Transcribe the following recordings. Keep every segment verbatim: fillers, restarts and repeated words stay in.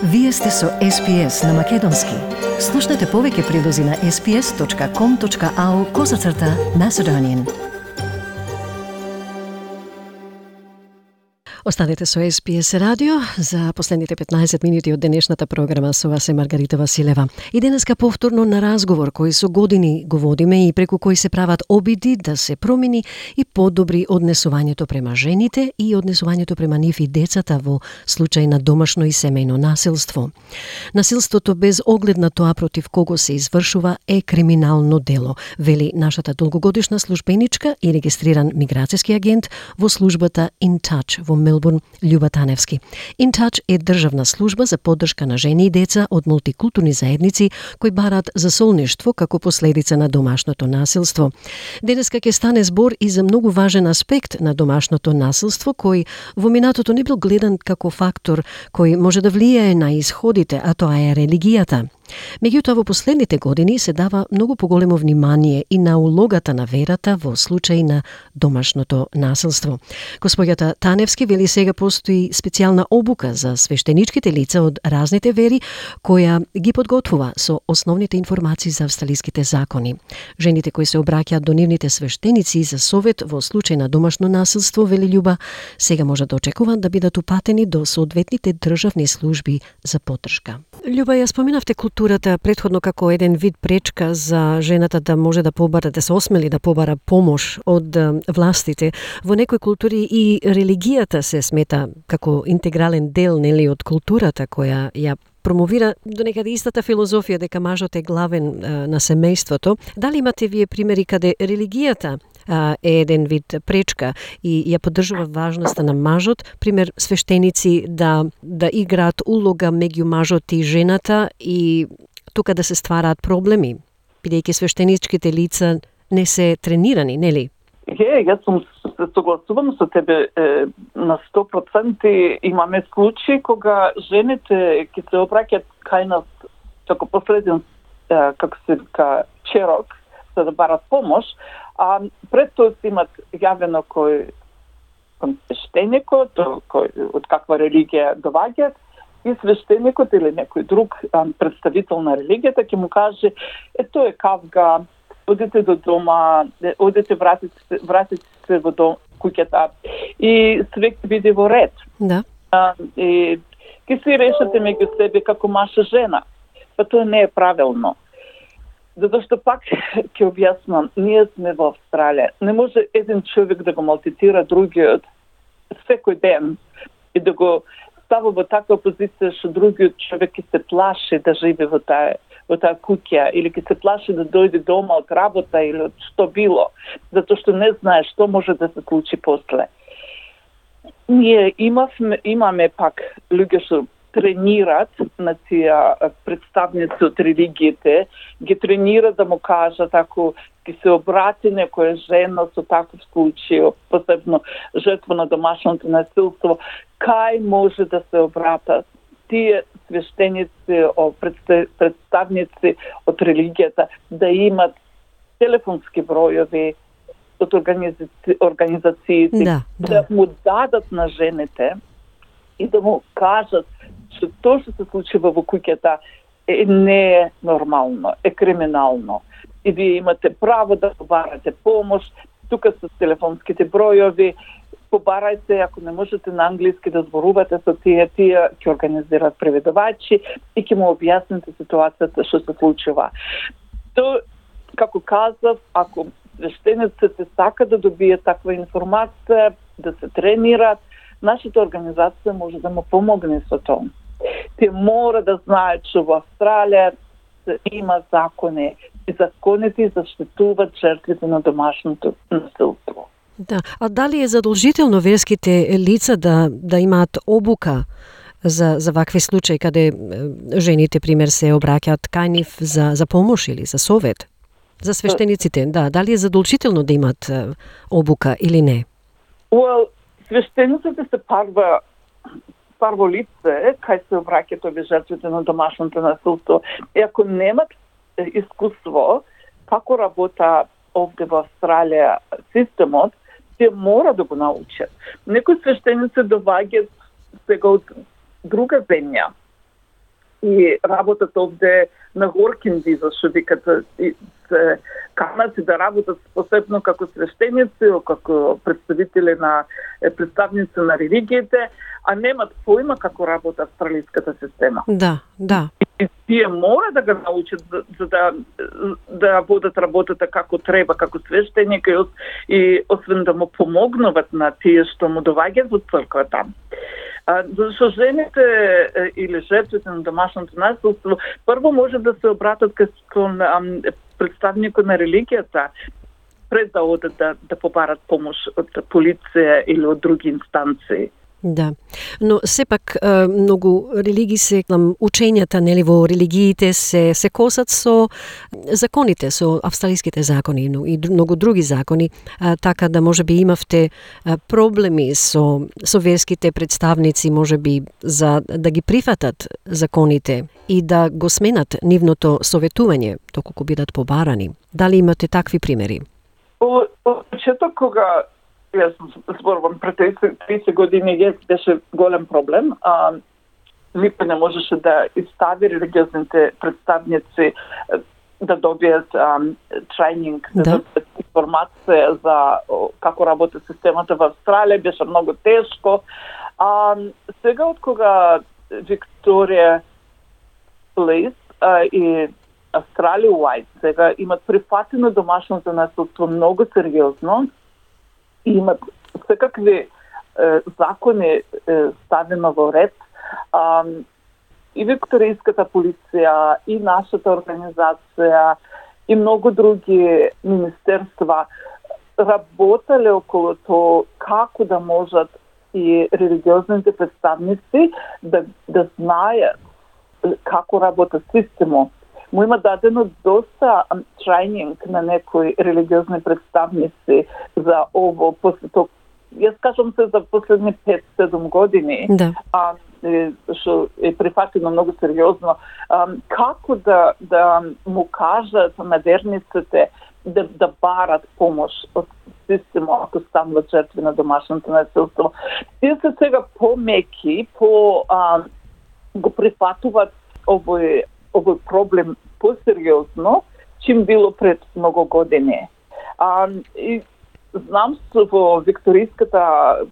Вие сте со Ес Би Ес на Македонски. Слушнете повеќе прилози на ес би ес точка ком точка ау козацрта Macedonian. Останете со Ес Би Ес радио за последните петнаесет минути од денешната програма. Со вас е Маргарита Василева. И денеска повторно на разговор кој со години го водиме и преку кој се прават обиди да се промени и подобри однесувањето према жените и однесувањето према нив и децата во случај на домашно и семејно насилство. Насилството без оглед на тоа против кого се извршува е криминално дело, вели нашата долгогодишна службеничка и регистриран миграцијски агент во службата In Touch во Мелбурн, Љуба Таневски. In Touch е државна служба за поддршка на жени и деца од мултикултурни заедници кои барат засолништво како последица на домашното насилство. Денеска ќе стане збор и за многу важен аспект на домашното насилство кој во минатото не бил гледан како фактор кој може да влијае на исходите, а тоа е религијата. Меѓутоа, во последните години се дава многу поголемо внимание и на улогата на верата во случај на домашното насилство. Господјата Таневски вели сега постои специјална обука за свештеничките лица од разните вери, која ги подготвува со основните информации за австралиските закони. Жените кои се обраќаат до нивните свештеници за совет во случај на домашно насилство, вели Љуба, сега може да очекуваат да бидат упатени до соодветните државни служби за поддршка. Љуба, ја споменавте културата претходно како еден вид пречка за жената да може да побара, да се осмели да побара помош од властите. Во некои култури и религијата се смета како интегрален дел, нели, од културата која ја промовира до некаде истата филозофија дека мажот е главен а, на семејството. Дали имате вие примери каде религијата а, е еден вид пречка и ја поддржува важноста на мажот, пример свештеници да да играат улога меѓу мажот и жената и тука да се ствараат проблеми, бидејќи свештеничките лица не се тренирани, нели? Е, јас сум се согласувам со тебе е, на сто проценти. Имаме случаи кога жените ќе се обраќаат кај нас како последен, е, како се вика, черок, за да барат помош, а пред тоа се имат јавено кој кон свештеникот, кој од каква религија доваѓаат, и свештеникот или некој друг а, представител на религијата ќе му каже: е, тоа е кавга, одете до дома, одете, вратите се, вратите се во дом, куќата, и све ќе биде во ред. Да. А, и ќе се решате меѓу себе како маж и жена. Па тоа не е правилно. Затоа што пак ќе објаснам, ние сме во Австралија. Не може еден човек да го малтретира другиот секој ден и да го става во таква позиција што другиот човек ќе се плаши да живее во таа во таа куќа или ќе се плаши да дојде дома од работа или од што било, затоа што не знае што може да се случи после. Ние имавме, имаме пак луѓе што тренират на тие представници од религиите, ги тренират да му кажат ако ќе се обрати некоја жена со таков случај, посебно жртва на домашното насилство, кај може да се обратат тие свештеници, представници од религијата, да имат телефонски бројови од организациите, да, да. да му дадат на жените и да му кажат што тоа што се случува во куќата е не е нормално, е криминално. И вие имате право да побарате помош, тука со телефонските бројови, побарајте, ако не можете на англиски да зборувате со тие, тие ќе организираат преведувачи и ќе му објасните ситуацијата што се случува. То, како казав, ако свештениците сакаат да добијат таква информација, да се тренираат, нашата организација може да му помогне со тоа. Те мора да знаат што во Австралија има закони и законите заштитуваат жртвите на домашното насилство. Да, а дали е задолжително верските лица да да имаат обука за за вакви случаи каде жените пример се обраќаат кај нив за за помош или за совет? За свештениците, да, дали е задолжително да имаат обука или не? Well, свештениците се парва парво лице кај се обраќаат овие жртвите на домашното насилство. И ако немат искуство како работа овде во Австралија системот, те мора да го научат. Некои свештеници доваѓаат сега од друга земја и работат овде на горкин виза, што викат, се канати да работат посебно како свештеници, како представители на представници на религиите, а немат поима како работа австралиската система. Да, да. И тие мора да го научат за, за да да водат работата како треба, како свештеник, и освен да му помогнуват на тие што му доаѓаат во црквата. Зашто жените или жертвите на домашното насилство прво може да се обратат кон представникот на религијата пред да одат да, да побарат помош од полиција или од други инстанции. Да, но сепак многу религии се, учењата нели во религиите се се косат со законите, со австралиските закони и многу други закони, така да можеби имавте проблеми со со верските представници, можеби за да ги прифатат законите и да го сменат нивното советување доколку бидат побарани. Дали имате такви примери? О, почеток кога јас зборувам пред тридесет години, јас беше голем проблем. А, никој не можеше да изстави религиозните представници да добијат тренинг, да, да добијат информација за како работи системата во Австралија. Беше многу тешко. А, сега, од кога Викторија Плейс и Австралија Уайт сега имат прифатено домашното насилство многу сериозно, и имат секакви е, закони е, ставено во ред. А, и викторијската полиција, и нашата организација, и многу други министерства работеле околу тоа како да можат и религиозните представници да, да знаат како работа системот. Му има дадено доста тренинг на некои религиозни представници за ово, после тоа, јас кажам се за последни пет-седум години, да. а, што е прифатено многу сериозно, а, како да, да му кажат на верниците да, да барат помош од системот ако стануват жертви на домашното насилство. Тие се сега помеки, по а, го прифатуваат овој овој проблем посериозно, чим било пред многу години. А, и знам во Викторијската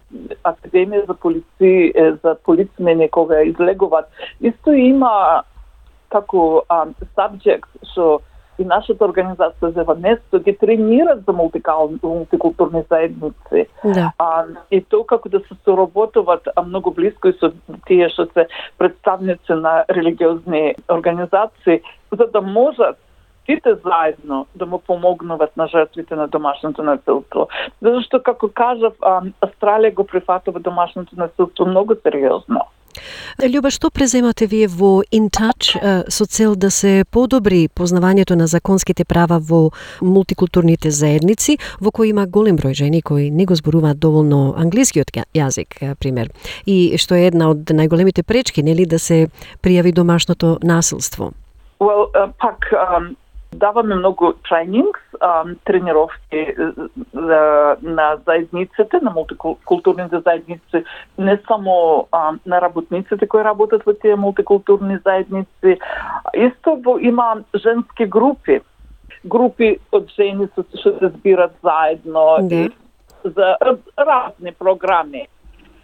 академија за полици, за полицмени кога излегуваат, исто има како а, subject што и нашата организација за место ги тренират за мултикултурни заедници. Да. А, и тоа како да се соработуваат многу блиско и со тие што се представници на религиозни организации, за да можат сите заедно да му помогнуват на жртвите на домашното насилство. Зашто, како кажав, Австралија го прифатува домашното насилство многу сериозно. Љуба, што преземате вие во InTouch со цел да се подобри познавањето на законските права во мултикултурните заедници, во кои има голем број жени кои не го зборуваат доволно англискиот јазик, пример, и што е една од најголемите пречки, нели, да се пријави домашното насилство? Well, uh, пак, um... даваме многу тренингс, тренировки на заедниците, на мултикултурните заедници, не само на работниците кои работат во тие мултикултурни заедници. Исто има женски групи, групи од жени што се збират заедно и за разни програми.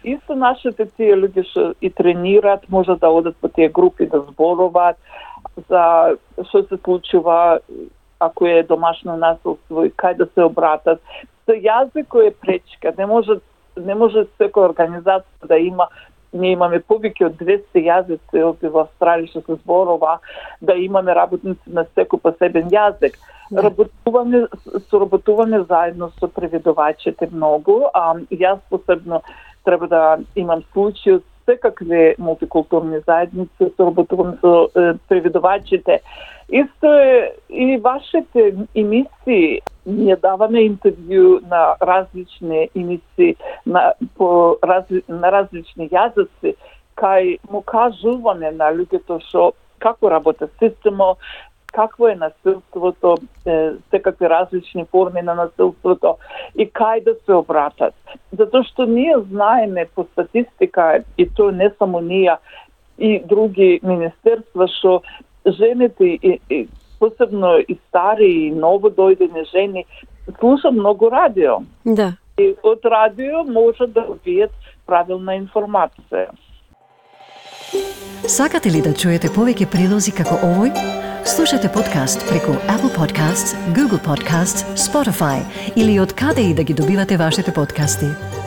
Исто нашите тие луѓе што и тренират, може да одат по тие групи да зборуваат за што се случува ако е домашно насилство и кај да се обратат. За јазик кој е пречка, не може не може секоја организација да има, ние имаме повеќе од двесте јазици овде во Австралија што се зборува, да имаме работници на секој посебен јазик. Да. Работуваме, соработуваме заедно со преведувачите многу, а јас посебно треба да имам случаи од секакви мултикултурни заедници, соработувам со е, преведувачите. Исто е и вашите емисии. Ние даваме интервју на различни емисии, на, по, разли, на различни јазици, кај му кажуваме на луѓето што како работи системот, какво е насилството, секакви различни форми на насилството и кај да се обратат. Затоа што ние знаеме по статистика, и тоа не само ние, и други министерства што жените и, и посебно и стари и новодојдени жени слушат многу радио. Да. И од радио може да добијат правилна информација. Сакате ли да чуете повеќе прилози како овој? Слушате подкаст преку Apple Podcasts, Google Podcasts, Spotify или од каде и да ги добивате вашите подкасти.